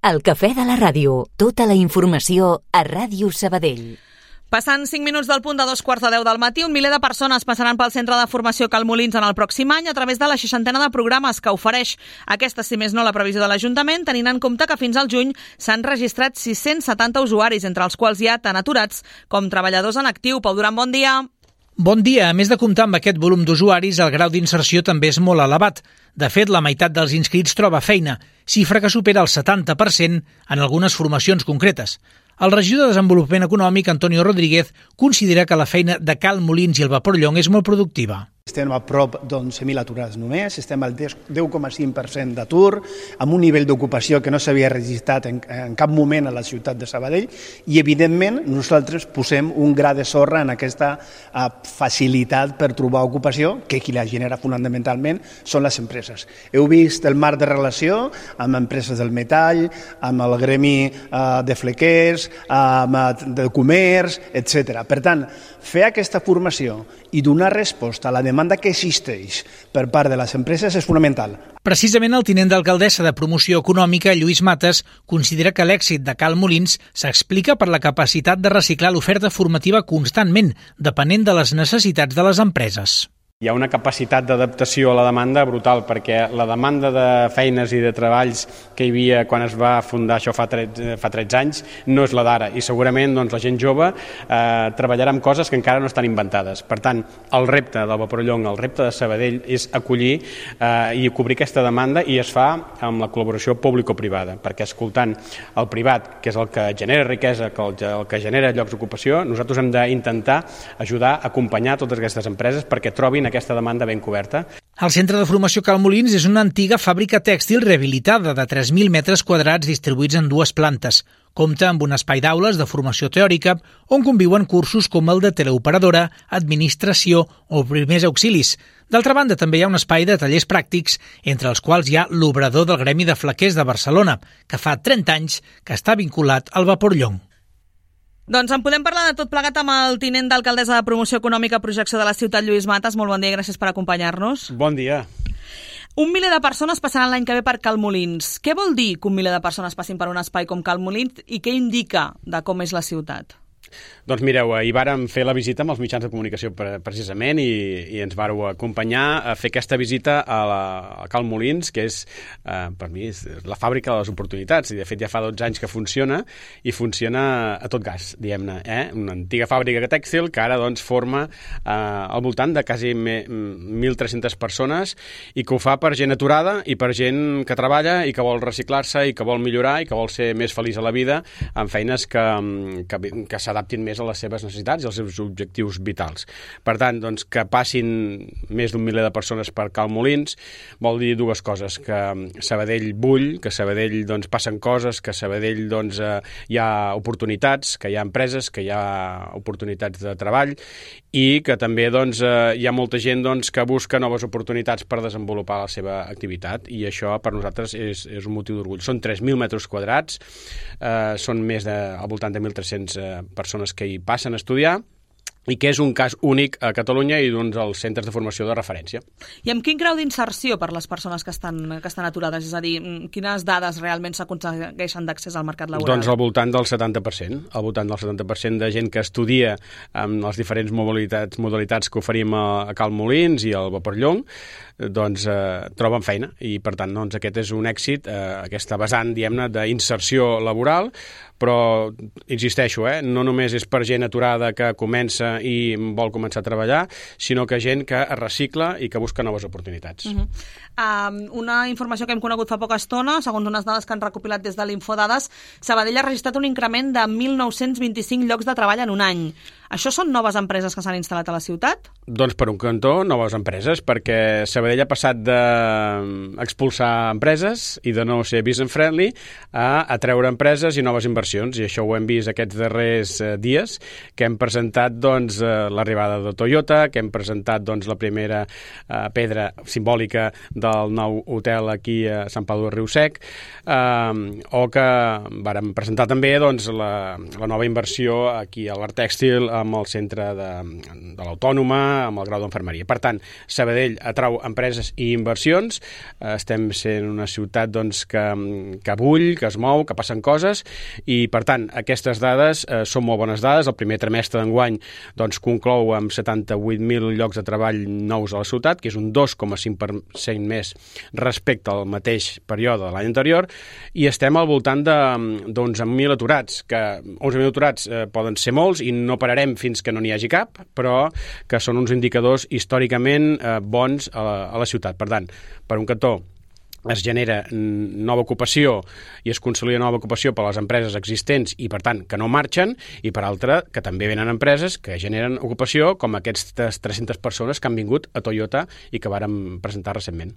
El cafè de la ràdio. Tota la informació a Ràdio Sabadell. Passant 5 minuts del punt de 2:45 del matí, 1 miler de persones passaran pel Centre de Formació Cal Molins en el pròxim any a través de la 60ena de programes que ofereix. Aquesta, si més no, la previsió de l'Ajuntament, tenint en compte que fins al juny s'han registrat 670 usuaris, entre els quals hi ha tant aturats com treballadors en actiu. Pau Duran, bon dia. Bon dia. A més de comptar amb aquest volum d'usuaris, el grau d'inserció també és molt elevat. De fet, la meitat dels inscrits troba feina, xifra que supera el 70% en algunes formacions concretes. El regidor de Desenvolupament Econòmic, Antonio Rodríguez, considera que la feina de Cal Molins i el Vapor Llong és molt productiva. Estem a prop d'11.000 aturats només, estem al 10,5% d'atur, amb un nivell d'ocupació que no s'havia registrat en cap moment a la ciutat de Sabadell i, evidentment, nosaltres posem un gra de sorra en aquesta facilitat per trobar ocupació, que qui la genera fonamentalment són les empreses. Heu vist el marc de relació amb empreses del metall, amb el gremi de flequers, de comerç, etc. Per tant, fer aquesta formació i donar resposta a la demanda que existeix per part de les empreses és fonamental. Precisament el tinent d'alcaldessa de Promoció Econòmica, Lluís Mates, considera que l'èxit de Cal Molins s'explica per la capacitat de reciclar l'oferta formativa constantment, depenent de les necessitats de les empreses. Hi ha una capacitat d'adaptació a la demanda brutal, perquè la demanda de feines i de treballs que hi havia quan es va fundar això fa 13 anys no és la d'ara, i segurament la gent jove treballarà amb coses que encara no estan inventades. Per tant, el repte del Vapor Llong, el repte de Sabadell és acollir i cobrir aquesta demanda, i es fa amb la col·laboració público-privada, perquè escoltant el privat, que és el que genera riquesa, el que genera llocs d'ocupació, nosaltres hem d'intentar ajudar a acompanyar totes aquestes empreses perquè trobin aquesta demanda ben coberta. El Centre de Formació Cal Molins és una antiga fàbrica tèxtil rehabilitada de 3.000 metres quadrats distribuïts en 2 plantes. Compta amb un espai d'aules de formació teòrica on conviuen cursos com el de teleoperadora, administració o primers auxilis. D'altra banda, també hi ha un espai de tallers pràctics, entre els quals hi ha l'obrador del Gremi de Flequers de Barcelona, que fa 30 anys que està vinculat al Vapor Llong. Doncs en podem parlar de tot plegat amb el tinent d'alcaldessa de Promoció Econòmica i Projecció de la ciutat, Lluís Mates. Molt bon dia i gràcies per acompanyar-nos. Bon dia. 1 miler de persones passaran l'any que ve per Cal Molins. Què vol dir que 1 miler de persones passin per un espai com Cal Molins i què indica de com és la ciutat? Doncs mireu, ahir vàrem fer la visita amb els mitjans de comunicació precisament i ens vàreu acompanyar a fer aquesta visita a Cal Molins, que és, per mi, és la fàbrica de les oportunitats. I de fet ja fa 12 anys que funciona, i funciona a tot gas, diguem-ne. Una antiga fàbrica tèxtil que ara doncs forma al voltant de quasi 1.300 persones, i que ho fa per gent aturada i per gent que treballa i que vol reciclar-se i que vol millorar i que vol ser més feliç a la vida amb feines que s'adaptin més a les seves necessitats i als seus objectius vitals. Per tant, doncs, que passin més d'1 miler de persones per Cal Molins vol dir dues coses: que Sabadell bull, que Sabadell doncs, passen coses, que Sabadell doncs, hi ha oportunitats, que hi ha empreses, que hi ha oportunitats de treball, i que també doncs, hi ha molta gent doncs, que busca noves oportunitats per desenvolupar la seva activitat, i això per nosaltres és un motiu d'orgull. Són 3.000 metres quadrats, són més al voltant de 1.300 persones que hi passen a estudiar, i que és un cas únic a Catalunya i d'un dels centres de formació de referència. I amb quin grau d'inserció per les persones que estan aturades? És a dir, quines dades realment s'aconsegueixen d'accés al mercat laboral? Doncs al voltant del 70%. Al voltant del 70% de gent que estudia amb les diferents modalitats que oferim a Cal Molins i al Vapor Llong, doncs troben feina, i per tant doncs, aquest és un èxit, aquesta vessant, diguem-ne, d'inserció laboral, però insisteixo, no només és per gent aturada que comença i vol començar a treballar, sinó que gent que es recicla i que busca noves oportunitats. Una informació que hem conegut fa poca estona, segons unes dades que han recopilat des de l'Infodades, Sabadell ha registrat un increment de 1.925 llocs de treball en un any. Això són noves empreses que s'han instal·lat a la ciutat? Doncs per un cantó, noves empreses, perquè Sabadell ha passat d'expulsar empreses i de no ser business friendly a atreure empreses i noves inversions inversions, i això ho hem vist aquests darrers dies, que hem presentat l'arribada de Toyota, que hem presentat la primera pedra simbòlica del nou hotel aquí a Sant Pau de Riu-sec, o que vàrem presentar també la nova inversió aquí a l'Art Tèxtil amb el centre de l'Autònoma, amb el grau d'Enfermeria. Per tant, Sabadell atrau empreses i inversions, estem sent una ciutat que bull, que es mou, que passen coses, i per tant, aquestes dades són molt bones dades. El primer trimestre d'enguany conclou amb 78.000 llocs de treball nous a la ciutat, que és un 2,5% més respecte al mateix període de l'any anterior, i estem al voltant d'11.000 aturats, que 11.000 aturats poden ser molts i no pararem fins que no n'hi hagi cap, però que són uns indicadors històricament bons a la ciutat. Per tant, per un cantó, es genera nova ocupació i es consolida nova ocupació per a les empreses existents i, per tant, que no marxen, i per altra, que també venen empreses que generen ocupació, com aquestes 300 persones que han vingut a Toyota i que vàrem presentar recentment.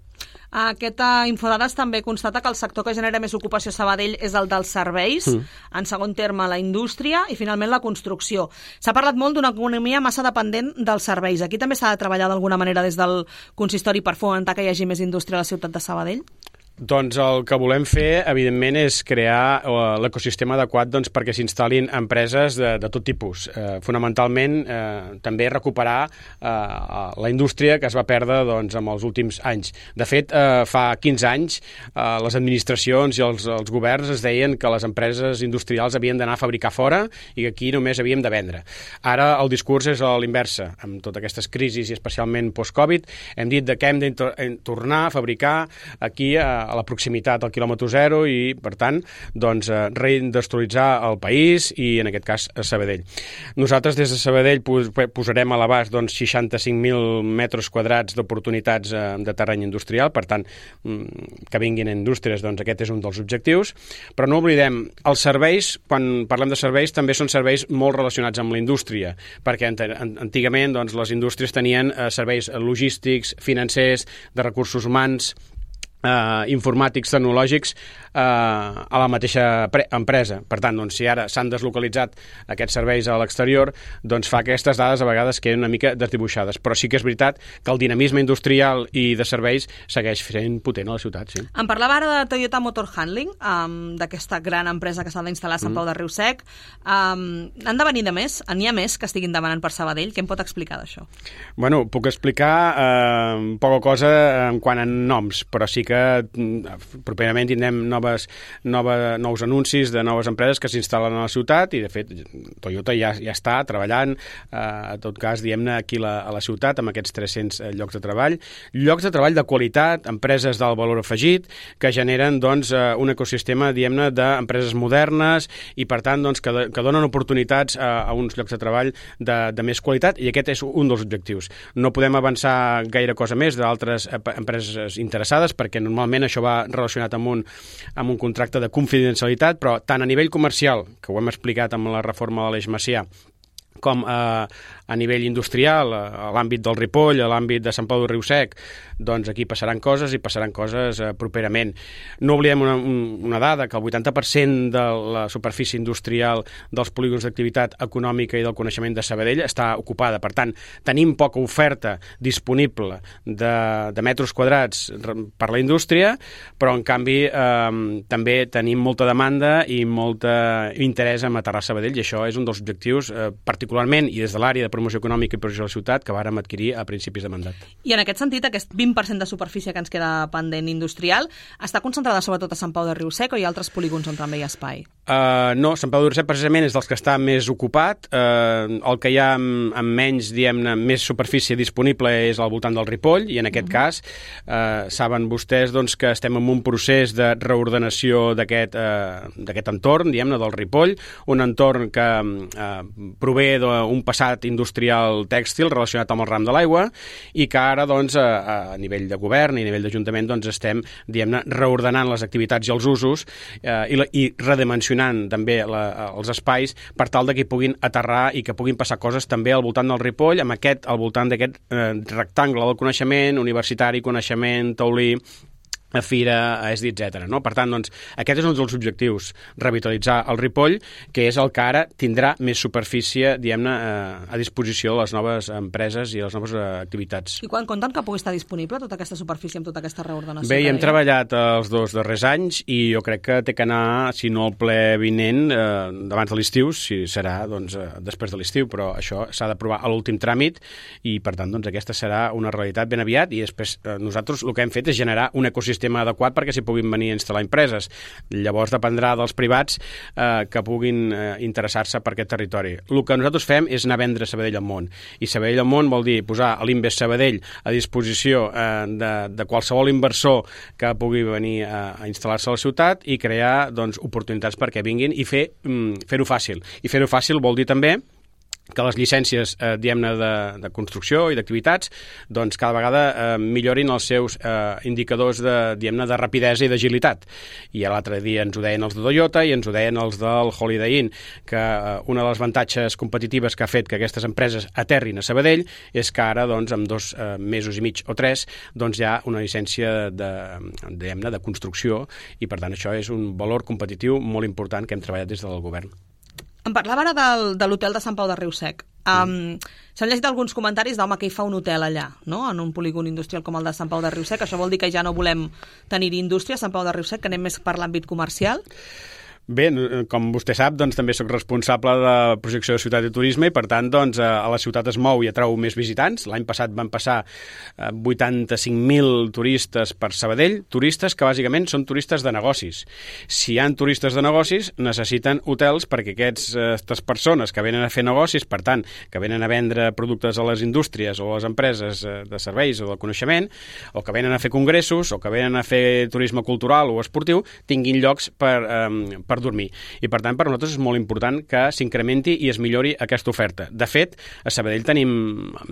Aquesta Infodades també constata que el sector que genera més ocupació a Sabadell és el dels serveis, en segon terme la indústria i finalment la construcció. S'ha parlat molt d'una economia massa dependent dels serveis. Aquí també s'ha de treballar d'alguna manera des del consistori per fomentar que hi hagi més indústria a la ciutat de Sabadell? Doncs el que volem fer, evidentment, és crear l'ecosistema adequat perquè s'instal·lin empreses de tot tipus. Fonamentalment, també recuperar la indústria que es va perdre en els últims anys. De fet, fa 15 anys, les administracions i els governs es deien que les empreses industrials havien d'anar a fabricar fora i que aquí només havíem de vendre. Ara el discurs és a l'inversa. Amb totes aquestes crisis i especialment post-Covid, hem dit que hem de tornar a fabricar aquí a la proximitat al quilòmetre zero i, per tant, reindustrialitzar el país i, en aquest cas, a Sabadell. Nosaltres, des de Sabadell, posarem a l'abast 65.000 metres quadrats d'oportunitats de terreny industrial, per tant, que vinguin indústries, aquest és un dels objectius, però no oblidem, els serveis, quan parlem de serveis, també són serveis molt relacionats amb la indústria, perquè antigament les indústries tenien serveis logístics, financers, de recursos humans, informàtics, tecnològics a la mateixa empresa. Per tant, si ara s'han deslocalitzat aquests serveis a l'exterior, fa aquestes dades a vegades queden una mica desdibuixades. Però sí que és veritat que el dinamisme industrial i de serveis segueix sent potent a la ciutat, sí. Em parlava ara de Toyota Motor Handling, d'aquesta gran empresa que s'ha d'instal·lar a Sant Pau de Riu-sec. Han de venir de més? N'hi ha més que estiguin demanant per Sabadell? Què em pot explicar d'això? Bueno, puc explicar poca cosa en quant a noms, però sí que properament tindrem nous anuncis de noves empreses que s'instal·len a la ciutat i, de fet, Toyota ja està treballant, en tot cas, diguem-ne, aquí a la ciutat, amb aquests 300 llocs de treball. Llocs de treball de qualitat, empreses d'alt valor afegit, que generen un ecosistema, diguem-ne, d'empreses modernes i, per tant, que donen oportunitats a uns llocs de treball de més qualitat, i aquest és un dels objectius. No podem avançar gaire cosa més d'altres empreses interessades, perquè normalment això va relacionat amb un contracte de confidencialitat, però tant a nivell comercial, que ho hem explicat amb la reforma de l'Eix Macià, com a nivell industrial, a l'àmbit del Ripoll, a l'àmbit de Sant Pau de Riu-sec, aquí passaran coses properament. No oblidem una dada, que el 80% de la superfície industrial dels polígons d'activitat econòmica i del coneixement de Sabadell està ocupada. Per tant, tenim poca oferta disponible de metres quadrats per la indústria, però en canvi també tenim molta demanda i molt interès en aterrar a Sabadell, i això és un dels objectius particularment, i des de l'àrea de promoció econòmica i promoció de la ciutat, que vàrem adquirir a principis de mandat. I en aquest sentit, aquest 20% de superfície que ens queda pendent industrial està concentrada sobretot a Sant Pau de Riu-sec, o hi ha altres polígons on també hi ha espai? No, Sant Pau de Riu-sec precisament és dels que està més ocupat. El que hi ha amb menys, diguem-ne, més superfície disponible és al voltant del Ripoll, i en aquest cas saben vostès que estem en un procés de reordenació d'aquest entorn, diguem-ne, del Ripoll, un entorn que prové d'un passat industrial tèxtil relacionat amb el ram de l'aigua, i que ara, a nivell de govern i a nivell d'Ajuntament, estem, diguem-ne, reordenant les activitats i els usos i redimensionant també els espais per tal que hi puguin aterrar i que puguin passar coses també al voltant del Ripoll, al voltant d'aquest rectangle del coneixement, universitari, coneixement, taulí, Fira, ESDI, etc. No? Per tant, doncs, aquest és un dels objectius, revitalitzar el Ripoll, que és el que ara tindrà més superfície, diguem-ne, a disposició de les noves empreses i les noves activitats. I quan compten que pugui estar disponible tota aquesta superfície amb tota aquesta reordenació? Bé, hem treballat els 2 darrers anys i jo crec que té que anar, si no el ple vinent, abans de l'estiu, si serà doncs, després de l'estiu, però això s'ha d'aprovar a l'últim tràmit i, per tant, doncs, aquesta serà una realitat ben aviat i després nosaltres el que hem fet és generar un ecosistema adequat perquè s'hi puguin venir a instal·lar empreses. Llavors dependrà dels privats que puguin interessar-se per aquest territori. El que nosaltres fem és anar a vendre Sabadell al món. I Sabadell al món vol dir posar l'Invest Sabadell a disposició de qualsevol inversor que pugui venir a instal·lar-se a la ciutat i crear doncs, oportunitats perquè vinguin i fer-ho fàcil. I fer-ho fàcil vol dir també que les llicències, diguem-ne, de construcció i d'activitats, doncs cada vegada millorin els seus indicadors de rapidesa i d'agilitat. I l'altre dia ens ho deien els de Toyota i ens ho deien els del Holiday Inn, que una de les avantatges competitives que ha fet que aquestes empreses aterrin a Sabadell és que ara, doncs, en 2 mesos i mig o 3, doncs hi ha una llicència de construcció i, per tant, això és un valor competitiu molt important que hem treballat des del govern. Em parlava ara de l'hotel de Sant Pau de Riu-Sec. S'han llegit alguns comentaris d'home que hi fa un hotel allà, no? En un polígon industrial com el de Sant Pau de Riu-Sec. Això vol dir que ja no volem tenir indústria a Sant Pau de Riu-Sec, que anem més per l'àmbit comercial? Bé, com vostè sap, doncs, també sóc responsable de la projecció de ciutat i turisme i, per tant, doncs, a la ciutat es mou i atrau més visitants. L'any passat van passar 85.000 turistes per Sabadell, turistes que bàsicament són turistes de negocis. Si hi ha turistes de negocis, necessiten hotels perquè aquestes persones que venen a fer negocis, per tant, que venen a vendre productes a les indústries o a les empreses de serveis o del coneixement, o que venen a fer congressos, o que venen a fer turisme cultural o esportiu, tinguin llocs per dormir. I, per tant, per nosaltres és molt important que s'incrementi i es millori aquesta oferta. De fet, a Sabadell tenim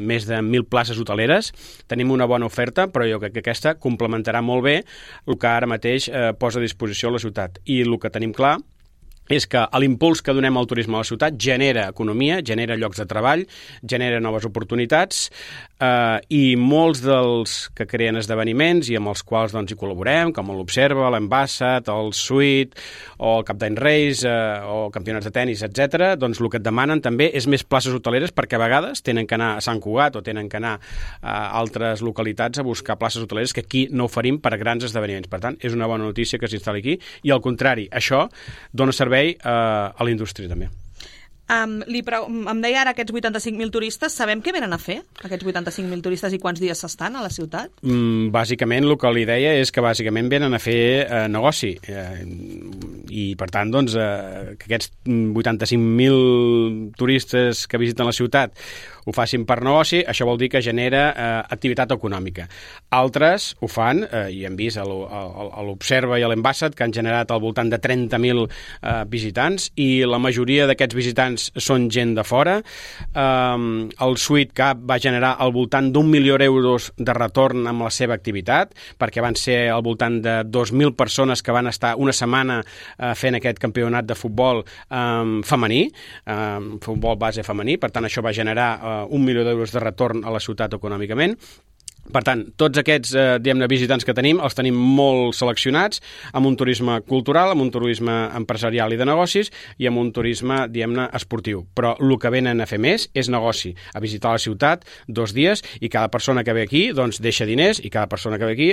més de 1.000 places hoteleres, tenim una bona oferta, però jo crec que aquesta complementarà molt bé el que ara mateix posa a disposició la ciutat. I el que tenim clar és que l'impuls que donem al turisme a la ciutat genera economia, genera llocs de treball, genera noves oportunitats i molts dels que creen esdeveniments i amb els quals doncs, hi col·laborem, com l'Observa, l'Ambassat, el Suite o el Cap d'Any Reis o campionats de tennis, etc., doncs el que et demanen també és més places hoteleres perquè a vegades tenen que anar a Sant Cugat o tenen que anar a altres localitats a buscar places hoteleres que aquí no oferim per a grans esdeveniments. Per tant, és una bona notícia que s'instal·li aquí i, al contrari, això dona servei a la indústria també. Em deia ara aquests 85.000 turistes, sabem què venen a fer, aquests 85.000 turistes, i quants dies s'estan a la ciutat? Bàsicament, el que li deia és que bàsicament venen a fer negoci i, per tant, doncs, que aquests 85.000 turistes que visiten la ciutat ho facin per negoci, això vol dir que genera activitat econòmica. Altres ho fan, i hem vist a l'Observa i a l'Ambassat, que han generat al voltant de 30.000 visitants, i la majoria d'aquests visitants són gent de fora. El Suite Cap va generar al voltant d'1 milió d'euros de retorn amb la seva activitat, perquè van ser al voltant de 2.000 persones que van estar una setmana fent aquest campionat de futbol femení, futbol base femení, per tant això va generar 1 milió d'euros de retorn a la ciutat econòmicament. Per tant, tots aquests visitants que tenim els tenim molt seleccionats amb un turisme cultural, amb un turisme empresarial i de negocis i amb un turisme, esportiu. Però el que venen a fer més és negoci, a visitar la ciutat 2 dies i cada persona que ve aquí doncs, deixa diners i cada persona que ve aquí,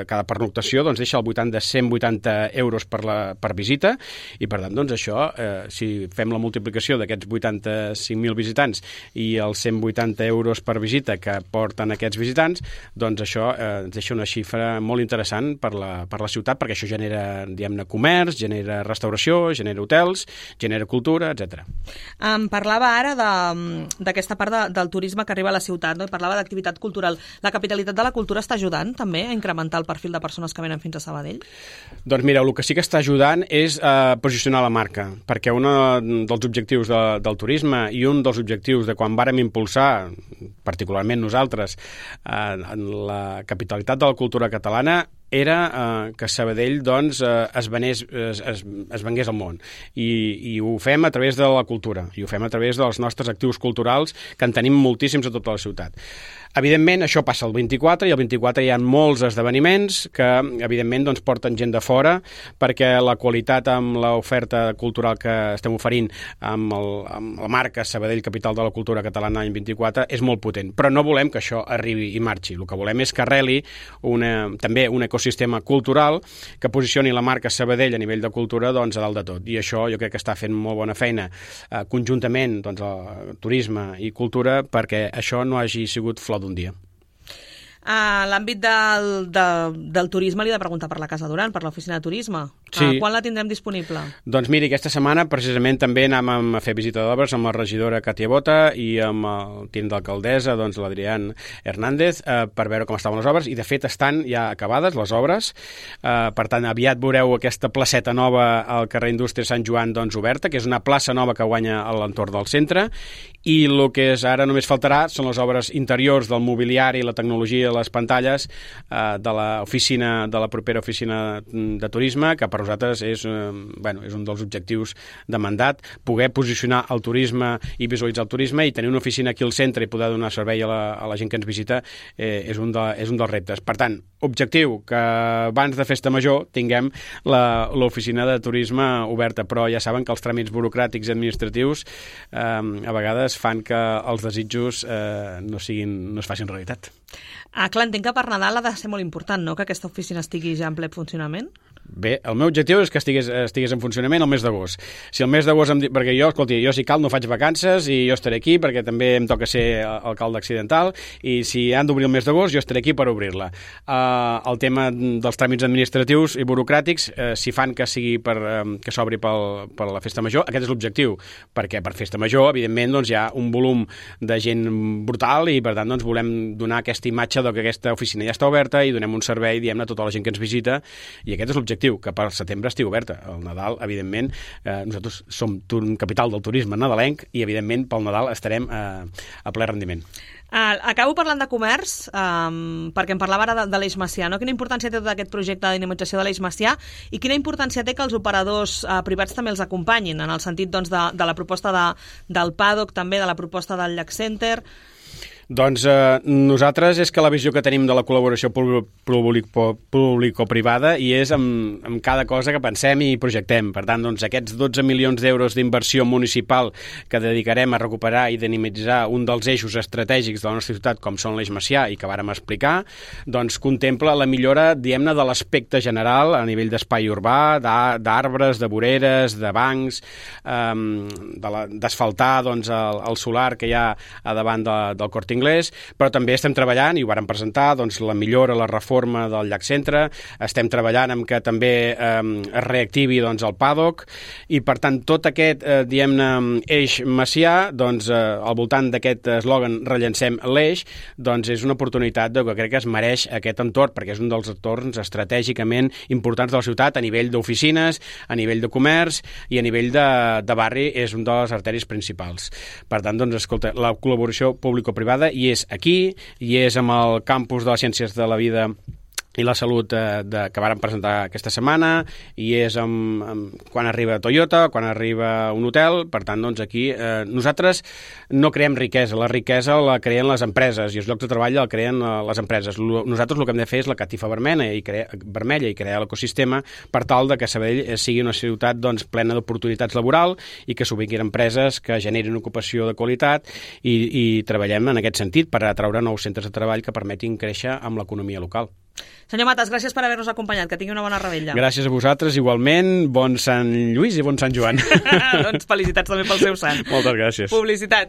cada pernoctació, doncs, deixa al voltant de 180 euros per visita i per tant, doncs, això, si fem la multiplicació d'aquests 85.000 visitants i els 180 euros per visita que porten aquests visitants, doncs això ens deixa una xifra molt interessant per la ciutat, perquè això genera, comerç, genera restauració, genera hotels, genera cultura, etc. Parlava ara d'aquesta part del turisme que arriba a la ciutat, no? I parlava d'activitat cultural. La capitalitat de la cultura està ajudant també a incrementar el perfil de persones que venen fins a Sabadell? Doncs mira, el que sí que està ajudant és posicionar la marca, perquè un dels objectius del turisme i un dels objectius de quan vàrem impulsar, particularment nosaltres, en la capitalitat de la cultura catalana, era que Sabadell doncs, es vengués al món. I ho fem a través de la cultura, i ho fem a través dels nostres actius culturals, que en tenim moltíssims a tota la ciutat. Evidentment, això passa el 24, i el 24 hi ha molts esdeveniments que, evidentment, doncs, porten gent de fora, perquè la qualitat amb l'oferta cultural que estem oferint amb la marca Sabadell Capital de la Cultura Catalana any 24 és molt potent. Però no volem que això arribi i marxi. El que volem és que arreli també un ecosistema cultural que posicioni la marca Sabadell a nivell de cultura doncs, a dalt de tot. I això jo crec que està fent molt bona feina conjuntament doncs, el turisme i cultura perquè això no hagi sigut flor d'un dia. A l'àmbit del turisme li he de preguntar per la Casa Duran, per l'oficina de turisme. Sí. Quan la tindrem disponible? Doncs miri, aquesta setmana precisament també anàvem a fer visita d'obres amb la regidora Katia Bota i amb el tinent d'alcaldessa, doncs l'Adrián Hernández, per veure com estaven les obres, i de fet estan ja acabades les obres. Per tant, aviat veureu aquesta placeta nova al carrer Indústria Sant Joan doncs, oberta, que és una plaça nova que guanya a l'entorn del centre, i el que és ara només faltarà són les obres interiors del mobiliari, la tecnologia, les pantalles de l'oficina, de la propera oficina de turisme, que per nosaltres és un dels objectius de mandat, poder posicionar el turisme i visualitzar el turisme i tenir una oficina aquí al centre i poder donar servei a la gent que ens visita és un dels reptes. Per tant, objectiu, que abans de Festa Major tinguem l'oficina de turisme oberta, però ja saben que els tràmits burocràtics i administratius a vegades fan que els desitjos no es facin realitat. Clar, entenc que per Nadal ha de ser molt important, no?, que aquesta oficina estigui ja en ple funcionament? Bé, el meu objectiu és que estigués en funcionament el mes d'agost. Si el mes d'agost perquè jo si cal no faig vacances i jo estaré aquí perquè també em toca ser alcalde accidental, i si han d'obrir el mes d'agost jo estaré aquí per obrir-la. El tema dels tràmits administratius i burocràtics, si fan que sigui que s'obri per la Festa Major, aquest és l'objectiu, perquè per Festa Major, evidentment, doncs, hi ha un volum de gent brutal i per tant doncs, volem donar aquesta imatge que aquesta oficina ja està oberta i donem un servei, diguem-ne, a tota la gent que ens visita, i aquest és l'objectiu, que per setembre estigui oberta. El Nadal, evidentment, nosaltres som capital del turisme nadalenc i, evidentment, pel Nadal estarem a ple rendiment. Acabo parlant de comerç, perquè em parlava ara de l'Eix Macià, no? Quina importància té tot aquest projecte de dinamització de l'Eix Macià i quina importància té que els operadors privats també els acompanyin, en el sentit doncs, de la proposta del Paddock, també de la proposta del Llac Center? Doncs nosaltres és que la visió que tenim de la col·laboració público-privada i és amb cada cosa que pensem i projectem. Per tant, doncs, aquests 12 milions d'euros d'inversió municipal que dedicarem a recuperar i dinamitzar un dels eixos estratègics de la nostra ciutat, com són l'Eix Macià i que vàrem explicar, doncs contempla la millora, diguem-ne, de l'aspecte general a nivell d'espai urbà, d'arbres, de voreres, de bancs, d'asfaltar doncs, el solar que hi ha a davant del Corte Inglés, però també estem treballant, i ho vàrem presentar, doncs, la millora, la reforma del Llac Centre, estem treballant en que també es reactivi doncs, el Paddock, i per tant tot aquest, diguem-ne, eix macià, doncs, al voltant d'aquest eslògan Rellancem l'eix, doncs és una oportunitat que crec que es mereix aquest entorn, perquè és un dels entorns estratègicament importants de la ciutat a nivell d'oficines, a nivell de comerç i a nivell de barri, és un de les arteris principals. Per tant, doncs, escolta, la col·laboració público-privada i és aquí, i és amb el campus de les ciències de la vida i la salut que vàrem presentar aquesta setmana, i és quan arriba Toyota, quan arriba un hotel. Per tant, doncs aquí nosaltres no creem riquesa, la riquesa la creen les empreses i els llocs de treball la creen les empreses. Nosaltres el que hem de fer és la catifa vermella i crear l'ecosistema per tal de que Sabadell sigui una ciutat doncs, plena d'oportunitats laboral i que s'ubiquin empreses que generin ocupació de qualitat i treballem en aquest sentit per atraure nous centres de treball que permetin créixer amb l'economia local. Senyor Matas, gràcies per haver-nos acompanyat. Que tingui una bona revetlla. Gràcies a vosaltres, igualment. Bon Sant Lluís i bon Sant Joan. Doncs felicitats també pel seu sant. Moltes gràcies. Publicitat.